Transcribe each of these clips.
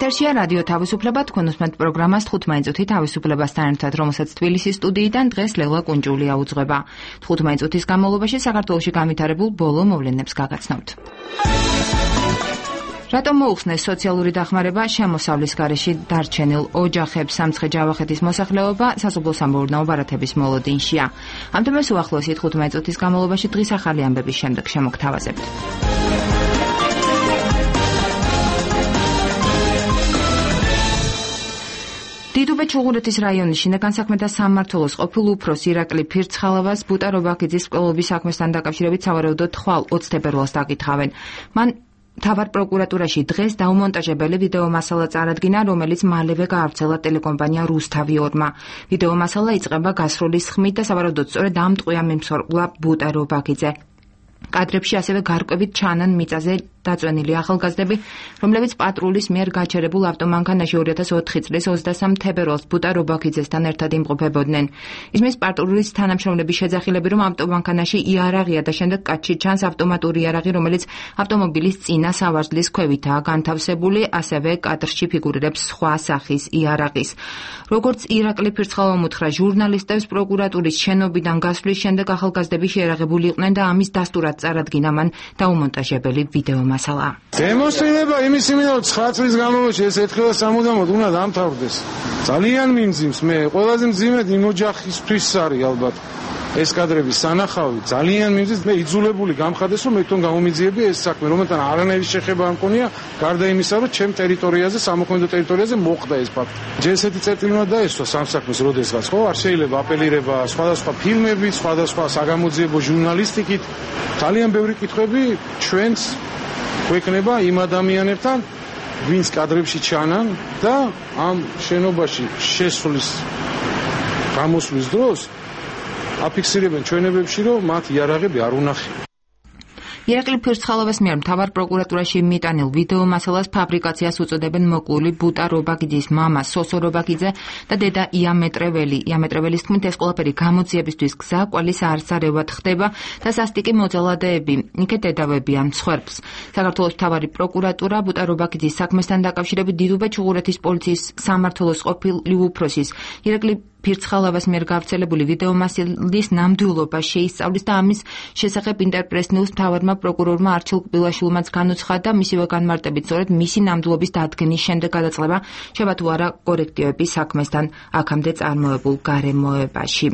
ეთერშია რადიო თავისუფლება, თქვენ უსმენთ პროგრამას 15 წუთი თავისუფლებასთან ერთად, რომელსაც თბილისის სტუდიიდან დღეს ლელა კუნჯულია უძღვება. 15 წუთის განმავლობაში საქართველოში განვითარებულ ბოლო მოვლენებს გაგაცნობთ. რატომ მოუხსნეს სოციალური დახმარება შემოსავლის გარეშე დარჩენილ ოჯახებს? სამცხე-ჯავახეთის მოსახლეობა სასოფლო-სამეურნეო ბარათების მოლოდინშია. ამ თემას უახლოესი 15 წუთის განმავლობაში დღის ახალი ამბების შემდეგ შემოგთავაზებთ. დიდუბე-ჩუღურეთის რაიონის შინაგან საქმეთა სამმართველოს ყოფილ უფროს ირაკლი ფირცხალავას ბუტა-რობაქიძის მკვლელობის საქმესთან დაკავშირებით სავარაუდოდ ხვალ 20 თებერვალს დაკითხავენ. მან თავარ პროკურატურაში დღეს დაუმონტაჟებელი ვიდეო მასალა წარადგინა, რომელიც მალევე გაავრცელა ტელეკომპანია რუსთავი 2-მა. ვიდეო მასალა იწყება გასროლის ხმით და სავარაუდოდ სწორედ ამ ტყვია მიმსხვერპლა ბუტა-რობაქიძე. კადრებში ასევე გარკვევით ჩანან მიწაზე დაწვენილი ახალგაზრდები, რომლებიც პატრულის მიერ გაჩერებულ ავტომანქანაში 2004 წლის 23 თებერვალს ბუტა-რობაქიძესთან ერთად იმყოფებოდნენ. ისმის პატრულის თანამშრომლების შეძახილები, რომ ავტომანქანაში იარაღია და შემდეგ კაცში ჩანს ავტომატური იარაღი, რომელიც ავტომობილის წინა სავარჯლის ქვევითაა განთავსებული, ასევე კადრში ფიგურირებს სხვა სახის იარაღის. როგორც ირაკლი ფირცხალავამ უთხრა ჟურნალისტებს, პროკურატურის შენობიდან გასვლის შემდეგ ახალგაზრდები შეერაღებული იყვნენ და ამის დასტურად წარადგინა მან დაუმონტაჟებელი ვიდეო მასალა. დემონსტრირება იმის იმედა, რომ 9 წლის განმავლობაში ეს ერთხელ სამუდამოდ უნდა დამთავრდეს. ძალიან მიმძიმს, მე ყველაზე მძიმედ იმ ოჯახისთვის არის ალბათ ეს კადრების სანახავი, ძალიან მიმძიმს, მე იძულებული გამხადეს, რომ მე თვითონ გამომიძიები ეს საქმე, რომელთან არანაირი შეხება არ მქონია, გარდა იმისა, რომ ჩემ ტერიტორიაზე, სამოქმედო ტერიტორიაზე მოხდა ეს ფაქტი. ჯერ ესეთი წერტილი უნდა დაესვა სამსაქმეს როდესღაც, ხო? არ შეიძლება აპელირება სხვადასხვა ფილმებით, სხვადასხვა საგამოძიებო ჟურნალისტიკით. ძალიან ბევრი კითხვები ჩვენს გვექნება იმ ადამიანებთან, ვინც კადრებში ჩანან და ამ შენობაში შესვლის გამოსვლის დროს აფიქსირებენ ჩვენებებში, რომ მათ იარაღები არ უნახია. ირაკლი ფირცხალავას მიერ მთავარ პროკურატურაში მიტანილ ვიდეო მასალას ფაბრიკაციას უწოდებენ მოკლული ბუტა-რობაქიძის მამა სოსო რობაქიძე და დედა იამეტრეველი. იამეტრეველის თქმით, ეს ყველაფერი გამოძიებისთვის გზა კვალის არსარევად ხდება და სასტიკი მოძალადეები იქეთ დედავებიან მსხვერპლს. საქართველოს მთავარი პროკურატურა ბუტა-რობაქიძის საქმესთან დაკავშირებით დიდუბე-ჩუღურეთის პოლიციის სამმართველოს ყოფილი უფროსის ირაკლი ფირცხალავას მიერ გავრცელებული ვიდეო მასალის ნამდვილობა შეისწავლის და ამის შესახებ ინტერპრეს-ნიუს მთავარმა პროკურორმა არჩილ კბილაშვილმაც განუცხადა, მისივე განმარტებით სწორედ მისი ნამდვილობის დადგენის შემდეგ გადაწყდება შევა თუ არა კორექტივები საქმესთან აქამდე წარმოებულ გარემოებაში.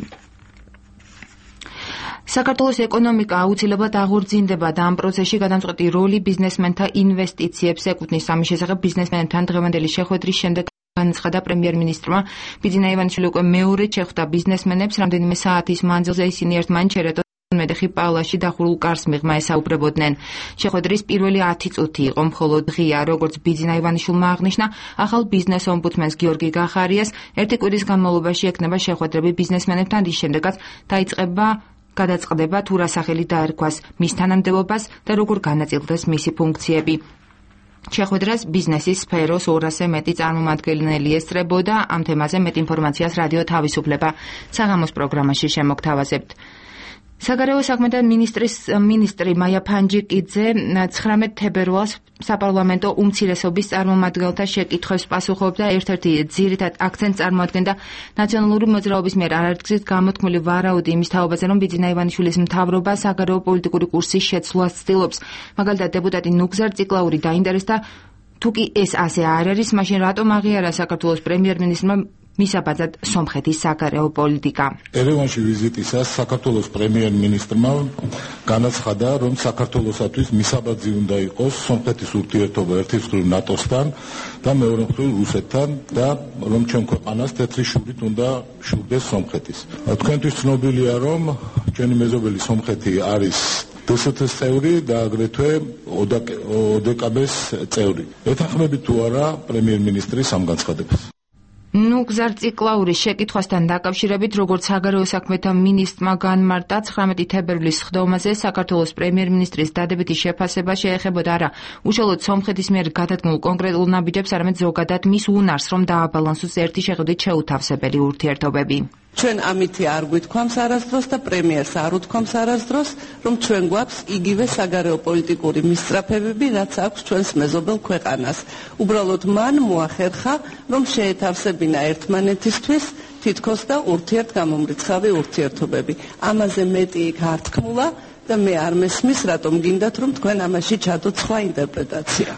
საქართველოს ეკონომიკა აუცილებლად აღორძინდება და ამ პროცესში გადამწყვეტი როლი ბიზნესმენთა ინვესტიციებს ეკუთვნის. ამის შესახებ ბიზნესმენებთან დღევანდელი შეხვედრის შემდეგ განაცხადა პრემიერ-მინისტრმა ბიძინა ივანიშვილი უკვე მეორედ შეხვდა ბიზნესმენებს, რამდენიმე საათის მანძილზე ისინი ერთმანეთს მედეხი პავლაში დახურულ კარს მიღმა ესაუბრებოდნენ. შეხვედრის პირველი 10 წუთი იყო მხოლოდ ღია, როგორც ბიძინა ივანიშვილმა აღნიშნა, ახალ ბიზნეს ომბუდსმენს გიორგი გახარიას ერთი კვირის განმავლობაში ექნება შეხვედრები ბიზნესმენებთან, რის შემდეგაც გადაწყდება თუ რა სახელი დაერქვას მის თანამდებობას და როგორ განაწილდეს მისი ფუნქციები. შეხვედრას ბიზნესის სფეროს 200-ზე მეტი წარმომადგენელი ესწრებოდა. ამ თემაზე მეტ ინფორმაციას რადიო თავისუფლება საღამოს პროგრამაში შემოგთავაზებთ. საგარეო საქმეთა მინისტრი მაია ფანჯიკიძე 19 თებერვალს საპარლამენტო უმცირესობის წარმომადგენელთა შეკითხვებს პასუხობდა. ერთ-ერთი ძირითად აქცენტს წარმოადგენდა ნაციონალური მოძრაობის მიერ არაერთგზით გამოთქმული ვარაუდი იმის თაობაზე, რომ ბიძინა ივანიშვილის მთავრობა საგარეო პოლიტიკური კურსის შეცვლას ცდილობს. მაგალითად, დეპუტატი ნუგზარ ციკლაური დაინტერესდა, თუ კი ეს ასე არ არის, მაშინ რატომ აღიარა საქართველოს პრემიერ-მინისტრმა მისაბაძად სომხეთის საგარეო პოლიტიკა. ერევანში ვიზიტისას საქართველოს პრემიერ-მინისტრმა განაცხადა, რომ საქართველოსათვის მისაბაძი უნდა იყოს სომხეთის ურთიერთობა ერთის მხრივ ნატოსთან და მეორე მხრივ რუსეთთან და რომ ჩვენ ქვეყანას თეთრი შურით უნდა შურდეს სომხეთის. თქვენთვის ცნობილია, რომ ჩვენი მეზობელი სომხეთი არის დსთ-ს წევრი და აგრეთვე ოდკბ-ს წევრი. ეთანხმებით თუ არა პრემიერ-მინისტრის ამ განცხადებას? ნუგზარ ციკლაურის შეკითხვასთან დაკავშირებით, როგორც საგარეო საქმეთა მინისტრმა განმარტა, 19 თებერვლის სხდომაზე საქართველოს პრემიერ-მინისტრის დადებითი შეფასება შეეხებოდა არა უშუალოდ სომხეთის მიერ გადადგმულ კონკრეტულ ნაბიჯებს, არამედ ზოგადად მის უნარს, რომ დააბალანსოს ერთი შეხედვით შეუთავსებელი ურთიერთობები. ჩვენ ამითი არ გვითქვამს არასდროს და პრემიერს არ უთქვამს არასდროს, რომ ჩვენ გვაქვს იგივე საგარეო პოლიტიკური მისწრაფებები, რაც აქვს ჩვენს მეზობელ ქვეყანას. უბრალოდ მან მოახერხა, რომ შეეთავსებინა ერთმანეთისთვის თითქოს და ურთიერთგამომრიცხავი ურთიერთობები. ამაზე მეტი იქ არ თქმულა და მე არ მესმის, რატომ გინდათ, რომ თქვენ ამაში ჩადოთ სხვა ინტერპრეტაცია.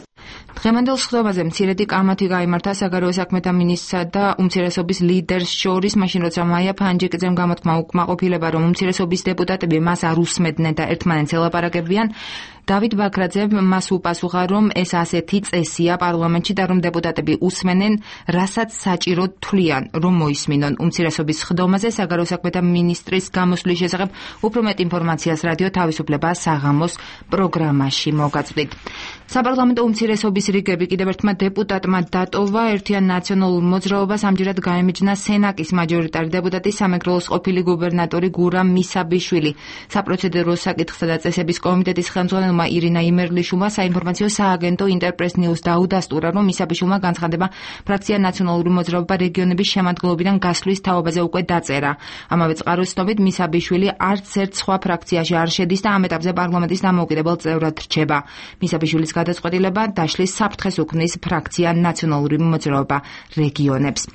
დღევანდელ სხდომაზე მცირედი კამათი გაიმართა საგარეო საქმეთა მინისტრსა და უმცირესობის ლიდერს შორის, მაშინ როცა მაია ფანჯიკიძემ გამოთქმა უკმაყოფილება, რომ უმცირესობის დეპუტატები მას არ უსმედნენ და ერთმანეთს ელაპარაკებიან. დავით ბაქრაძემ მას უპასუხა, რომ ეს ასეთი წესია პარლამენტში და რომ დეპუტატები უსმენენ, რასაც საჭიროდ თვლიან, რომ მოისმინონ. უმცირესობის სხდომაზე საგარეო საქმეთა მინისტრის გამოსვლის შესახებ უფრო მეტ ინფორმაციას რადიო თავისუფლება საღამოს პროგრამაში მოგაწვდით. საპარლამენტო უმცირესობის რიგები კიდევ ერთმა დეპუტატმა დატოვა. ერთიან ნაციონალურ მოძრაობას ამჯერად გაემიჯნა სენაკის მაჯორიტარი დეპუტატი, სამეგრელოს ყოფილი გუბერნატორი გურამ მისაბიშვილი. საპროცედურო საკითხთა და წესების კომიტეტის ხელმძღვანელმა ირინა იმერლიშვილმა საინფორმაციო სააგენტო ინტერპრეს ნიუს დაუდასტურა, რომ მისაბიშვილმა განცხადება ფრაქცია ნაციონალური მოძრაობა რეგიონების შემადგენლობიდან გასვლის თაობაზე უკვე დაწერა. ამავე წყაროს ცნობით მისაბიშვილი არც ერთ სხვა ფრაქციაში არ შედის და ამ ეტაპზე პარლამენტის დამოუკიდებელ წევრად რჩება. მისაბიშვილის გადაწყვეტილება დაშლის საფრთხეს უქმნის ფრაქცია ნაციონალური მოძრაობა რეგიონებს.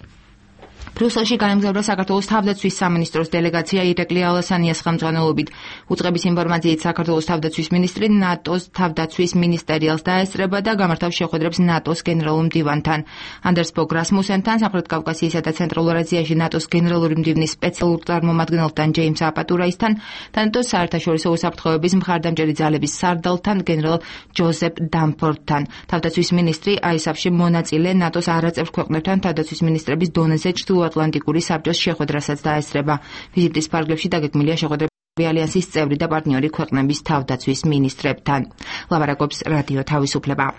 ბრიუსელში გაემგზავრა საქართველოს თავდაცვის სამინისტროს დელეგაცია ირაკლი ალასანიას ხელმძღვანელობით. უწყების ინფორმაციით საქართველოს თავდაცვის მინისტრი ნატოს თავდაცვის მინისტერიალს დაესწრება და გამართავს შეხვედრებს ნატოს გენერალურ მდივანთან. ანდერს ბოგ რასმუსენთან, სამხრეთ კავკასიისა და ცენტრალურ აზიაში ნატოს გენერალური მდივნის სპეციალურ წარმომადგენელთან ჯეიმს აპატურაისთან და ნატოს საერთაშორისო უსაფრთხოების მხარდამჭერი ძალების სარდალთან გენერალ ჯოზეფ დამფორდთან. თავდაცვის მინისტრი აისაფში მონაწილე ნატოს არაწევრ ქვეყნებთან თავდაცვის მინისტრების დონეზე ატლანტიკური საბჭოს შეხვედრასაც დაესწრება. ვიზიტის ფარგლებში დაგეგმილია შეხვედრები ალიანსის წევრი და პარტნიორი ქვეყნების თავდაცვის მინისტრებთან. ლაპარაკობს რადიო თავისუფლება.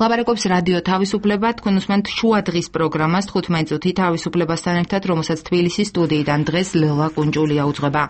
ლაპარაკობს რადიო თავისუფლება, თქვენ უსმენთ შუადღის პროგრამას 15 წუთი თავისუფლებასთან ერთად, რომელსაც თბილისის სტუდიიდან დღეს ლელა კუნჭულია უძღვება.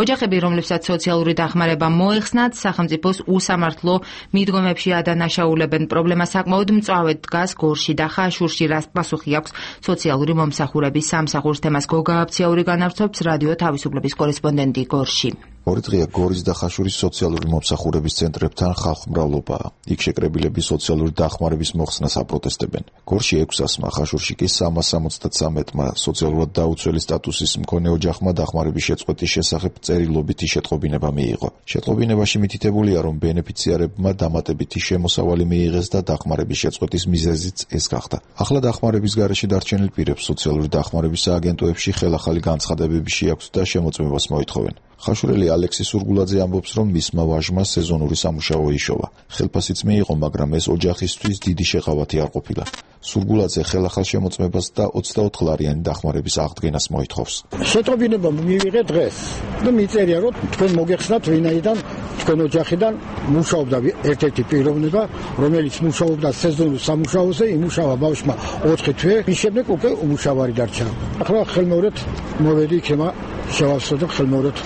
ოჯახები, რომლებსაც სოციალური დახმარება მოეხსნათ, სახელმწიფოს უსამართლო მიდგომებში ადანაშაულებენ. პრობლემა საკმაოდ მწვავედ დგას გორში და ხაშურში, რაც პასუხი აქვს სოციალური მომსახურების სამსახურს. თემას გოგა აბციური განავრცობს რადიო თავისუფლების კორესპონდენტი გორში. ორი დღეა გორის და ხაშურის სოციალური მომსახურების ცენტრებთან ხალხმრავლობაა. იქ შეკრებილები სოციალური დახმარების მოხსნას აპროტესტებენ. გორში 600-მა, ხაშურში კი 373-მა სოციალურად დაუცველი სტატუსის მქონე ოჯახმა დახმარების შეწყვეტის შესახებ წერილობითი შეტყობინება მიიღო. შეტყობინებაში მითითებულია, რომ ბენეფიციარებმა დამატებითი შემოსავალი მიიღეს და დახმარების შეწყვეტის მიზეზიც ეს გახდა. ახლა დახმარების გარეშე დარჩენილ პირებს სოციალური დახმარების სააგენტოებში ხელახალი განცხადებები შეაქვთ და შემოწმებას მოითხოვენ. ხაშურელი ალექსი სურგულაძე ამბობს, რომ მისმა ვაჟმა სეზონური სამუშაო იშოვა. ხელფასიც მიიღო, მაგრამ ეს ოჯახისთვის დიდი შეყავათი არ ყოფილა. სურგულაძე ხელახალ შემოწმებას და 24 ლარიანი დახმარების აღდგენას მოითხოვს. შეტყობინება მივიღე დღეს და მიწერია, რომ თქვენ მოგეხსნათ ვინაიდან თქვენ ოჯახიდან მუშაობდა ერთ-ერთი პიროვნება, რომელიც მუშაობდა სეზონურ სამუშაოზე, იმუშავა ბავშვმა 4 თვე, მის შემდეგ უკვე უმუშავარი დარჩა. ახლა ხელმეორედ მოვედი იქნება შევავსო და ხელმეორედ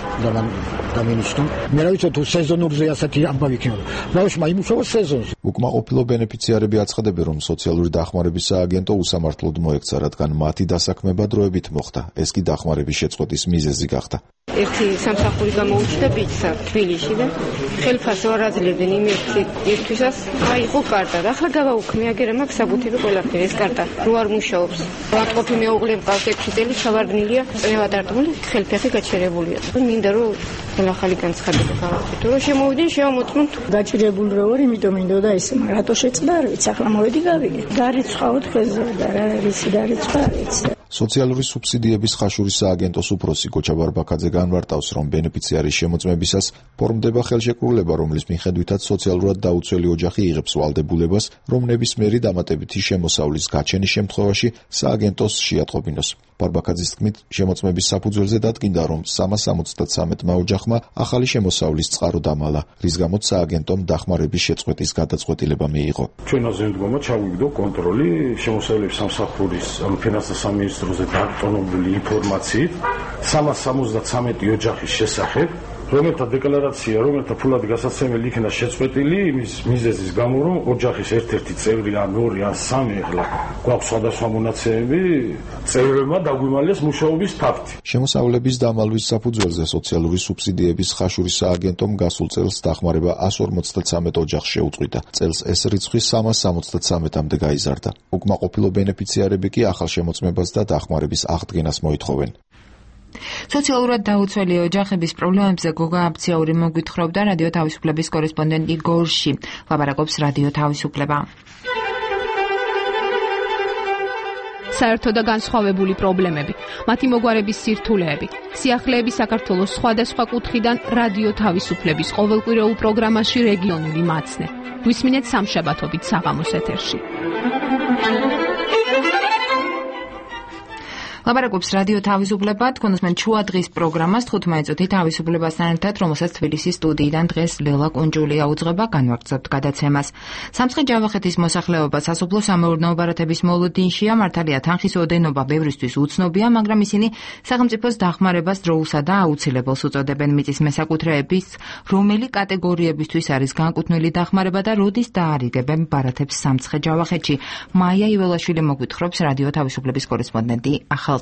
დამინიშტო. მე რა ვიცი თუ სეზონურზე ასეთი ამბავი იქნება. ბავშვმა იმუშავა სეზონზე. უკმაყოფილო ბენეფიციარები აცხადებენ, რომ სოციალური დახმარების სააგენტო უსამართლოდ მოექცა, რადგან მათი დასაქმება დროებით მოხდა. ეს კი დახმარების შეწყვეტის მიზეზი გახდა. ერთი სამსახური გამოუჩნდა ბიჭსა თბილისში და ხელფასს არ აძლევდნენ იმისთვისაც აიყო კარტა და ახლა გავაუქმე აგერა მაქვს საბუთები ყველაფერი ეს კარტა რო არ მუშაობს. ვატყოფი მეუღლე მყავს 6 წელი ჩავარდნილია წნევადარტყმული ხელფეხი გაჩერებულია. მინდა რომ ახალი განცხადება გავაკეთო რომ შემოვიდნენ შევამოწმოთ. გაჭირებული რო ვარ, იმიტომ მინდოდა ეს რატო შეწყდა არ ვიცი, ახლა მოვედი გავიგე. დარიცხავთ ხელზე და რა რისი დარიცხვა არ ვიცი. სოციალური სუბსიდიების ხაშურის სააგენტოს უფროსი გოჩა ბარბაკაძე განმარტავს, რომ ბენეფიციარის შემოწმებისას ფორმდება ხელშეკრულება, რომლის მიხედვითაც სოციალურად დაუცველი ოჯახი იღებს ვალდებულებას, რომ ნებისმიერი დამატებითი შემოსავლის გაჩენის შემთხვევაში სააგენტოს შეატყობინოს. ბარბაკაძის თქმით, შემოწმების საფუძველზე დადგინდა, რომ 373-მა ოჯახმა ახალი შემოსავლის წყარო დამალა, რის გამოც სააგენტომ დახმარების შეწყვეტის გადაწყვეტილება მიიღო. ჩვენაზე მდგომა ჩავიგდო კონტროლი შემოსავლების სამსახურის ფინანსთა სამინისტროზე დატონებული ინფორმაციით 373 ოჯახის შესახებ რომელთა დეკლარაცია, რომელთა ფულად გასაცემელი იქნა შეწყვეტილი იმის მიზეზის გამო, რომ ოჯახის ერთ-ერთი წევრი ან ორი ან სამი ახლა გვაქვს სხვადასხვა მონაცემები, წევრებმა დაგვიმალეს მუშაობის ფაქტი. შემოსავლების დამალვის საფუძველზე სოციალური სუბსიდიების ხაშურის სააგენტომ გასულ წელს დახმარება 153 ოჯახს შეუწყვიტა. წელს ეს რიცხვი 373-მდე გაიზარდა. უკმაყოფილო ბენეფიციარები კი ახალ შემოწმებას და დახმარების აღდგენას მოითხოვენ. სოციალურად დაუცველი ოჯახების პრობლემებზე გოგა აბციური მოგვითხრობდა რადიო თავისუფლების კორესპონდენტი გორში. ლაპარაკობს რადიო თავისუფლება. საერთო და განსხვავებული პრობლემები, მათი მოგვარების სირთულეები, სიახლეები საქართველოს სხვადასხვა კუთხიდან რადიო თავისუფლების ყოველკვირეულ პროგრამაში რეგიონული მაცნე. გვისმინეთ სამშაბათობით საღამოს ეთერში. ლაპარაკობს რადიო თავისუფლება, თქვენოსმენ ჩუადღის პროგრამას 15 წუთი თავისუფლებასთან ერთად, რომელსაც თბილისის სტუდიიდან დღეს ლელა კუნჯულია უძღვება, განვაგრძობთ გადაცემას. სამცხე-ჯავახეთის მოსახლეობა სასოფლო-სამეურნეო ბარათების მოლოდინშია, მართალია თანხის ოდენობა ბევრისთვის უცნობია, მაგრამ ისინი სახელმწიფოს დახმარებას დროულსა და აუცილებელს უწოდებენ. მიწის მესაკუთრეების რომელი კატეგორიებისთვის არის განკუთვნილი დახმარება და როდის დაარიგებენ ბარათებს სამცხე-ჯავახეთში. მაია იველაშვილი მოგვითხრობს რადიო თავისუფლების კორესპონდენტი ახალციხეში.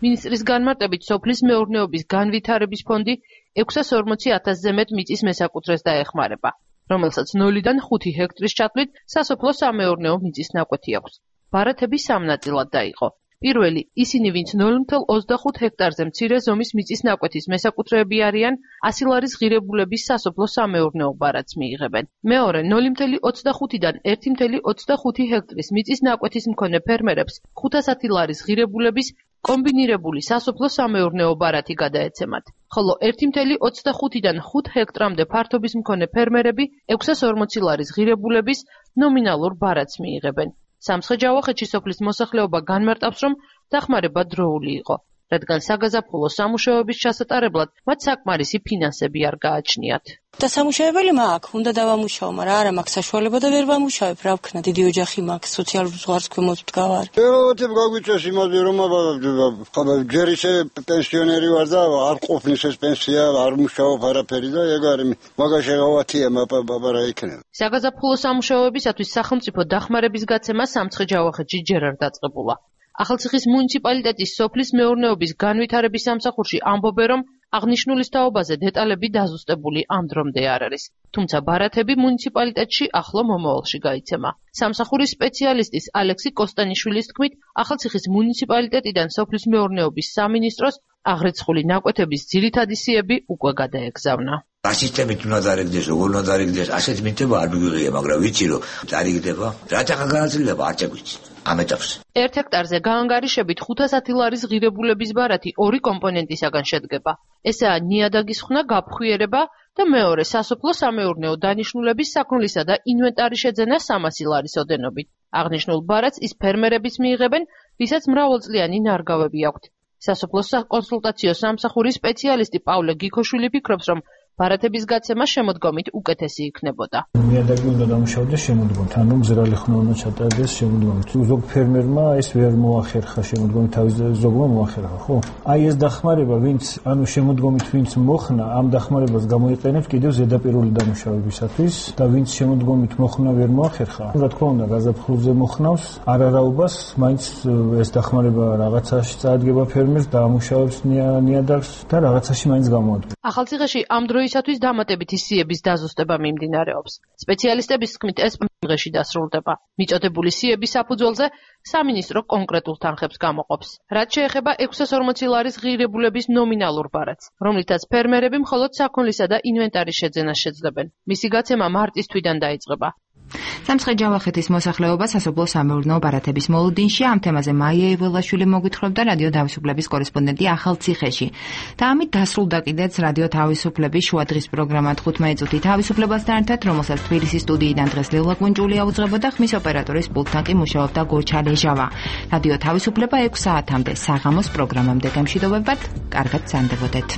მინისტრის განმარტებით სოფლის მეურნეობის განვითარების ფონდი 640,000-ზე მეტ მიწის მესაკუთრეს დაეხმარება, რომელსაც 0-დან 5 ჰექტრის ჩათვლით სასოფლო-სამეურნეო მიწის ნაკვეთი აქვს. ბარათები სამ ნაწილად დაიყო. პირველი, ისინი, ვინც 0,25 ჰექტარზე მცირე ზომის მიწის ნაკვეთის მესაკუთრეები არიან, 100 ლარის ღირებულების სასოფლო-სამეურნეო ბარათს მიიღებენ. მეორე, 0,25-დან 1,25 ჰექტრის მიწის ნაკვეთის მქონე ფერმერებს 510 ლარის ღირებულების კომბინირებული სასოფლო-სამეურნეო ბარათი გადაეცემათ, ხოლო 1,25-დან 5 ჰექტრამდე ფართობის მქონე ფერმერები 640 ლარის ღირებულების ნომინალურ ბარათს მიიღებენ. სამცხე-ჯავახეთში სოფლის მოსახლეობა განმარტავს, რომ დახმარება დროული იყო, რადგან საგაზაფხულო სამუშაოების ჩასატარებლად მათ საკმარისი ფინანსები არ გააჩნიათ. და სამუშაებელი მაქვს, უნდა დავამუშაო, მაგრამ არა მაქვს საშუალება და ვერ ვამუშავებ, რა ვქნა, დიდი ოჯახი მაქვს, სოციალურ ზღვარს ქვემოთ ვდგავარ. ეოთებ გაგვიწეს იმაზე, რომ ჯერ ისე პენსიონერი ვარ და არ ყოფნის ეს პენსია, არ მუშაობ არაფერი და ეგ არის მაგაში გავათია ბაბარა იქნება. საგაზაფხულო სამუშაოებისათვის სახელმწიფო დახმარების გაცემა სამცხე-ჯავახეთში ჯერ არ დაწყებულა. ახალციხის მუნიციპალიტეტის სოფლის მეურნეობის განვითარების სამსახურში ამბობენ, რომ აღნიშნულის თაობაზე დეტალები დაზუსტებული ამ დრომდე არ არის. თუმცა ბარათები მუნიციპალიტეტში ახლო მომავალში გაიცემა. სამსახურის სპეციალისტის ალექსი კოსტანიშვილის თქმით, ახალციხის მუნიციპალიტეტიდან სოფლის მეურნეობის სამინისტროს აღრიცხული ნაკვეთების ძირითადი სიები უკვე გადაეგზავნა. ასისტემით უნდა დარიგდეს, როგორ უნდა დარიგდეს, ასეთ მითება არ მიგვიღია, მაგრამ ვიცი რომ დარიგდება. რათა განაწილება არ წაგვიცი. ამ ეტაპზე. 1 ჰექტარზე გაანგარიშებით 510 ლარის ღირებულების ბარათი ორი კომპონენტისაგან შედგება. ესაა ნიადაგის ხსნა, გაფხვიერება და მეორე სასოფლო-სამეურნეო დანიშნულების საქონლისა და ინვენტარის შეძენა 300 ლარის ოდენობით. აღნიშნულ ბარათს ის ფერმერებიც მიიღებენ, ვისაც მრავალწლიანი ნარგავები აქვთ. სასოფლო-საკონსულტაციო სამსახურის სპეციალისტი პავლე გიქოშვილი ფიქრობს, რომ ბარათების გაცემა შემოდგომით უკეთესი იქნებოდა. ნიადაგი უნდა დამუშავდეს შემოდგომით, ანუ მზრალი ხნა უნდა ჩატარდეს შემოდგომით. ზოგ ფერმერმა ეს ვერ მოახერხა შემოდგომით, თავის ზოგმა მოახერხა, ხო? აი ეს დახმარება, ვინც ანუ შემოდგომით ვინც მოხნა, ამ დახმარებას გამოიყენებს კიდევ ზედაპირული დამუშავებისათვის და ვინც შემოდგომით მოხნა ვერ მოახერხა. რა თქმა უნდა, გაზაფხულზე მოხნავს არარაობას, მაინც ეს დახმარება რაღაცაში წაადგება ფერმერს და ამუშავებს ნიადაგს და რაღაცაში მაინც გამოადგება. ახალციხეში ამ დროისათვის დამატებითი სიების დაზუსტება მიმდინარეობს. სპეციალისტების თქმით, ეს დღეში დასრულდება. მიწოდებული სიების საფუძველზე სამინისტრო კონკრეტულ თანხებს გამოყოფს. რაც შეეხება 640 ლარის ღირებულების ნომინალურ ბარათს, რომლითაც ფერმერები მხოლოდ საქონლისა და ინვენტარის შეძენას შეძლებენ. მისი გაცემა მარტის თვიდან დაიწყება. სამცხე-ჯავახეთის მოსახლეობა სასოფლო-სამეურნეო ბარათების მოლოდინშია. ამ თემაზე მაია იველაშვილი მოგვითხრობდა რადიო თავისუფლების კორესპონდენტი ახალციხეში. და ამით დასრულდა კიდეც რადიო თავისუფლების შუადღის პროგრამა 15 წუთი თავისუფლებასთან ერთად, რომელსაც თბილისის სტუდიიდან დღეს ლელა კუნჯულია უძღვებოდა, ხმის ოპერატორის პულტთან კი მუშაობდა გოჩა ლეჟავა. რადიო თავისუფლება 6 საათამდე საღამოს პროგრამამდე გემშვიდობებათ, კარგად სანდებოდეთ.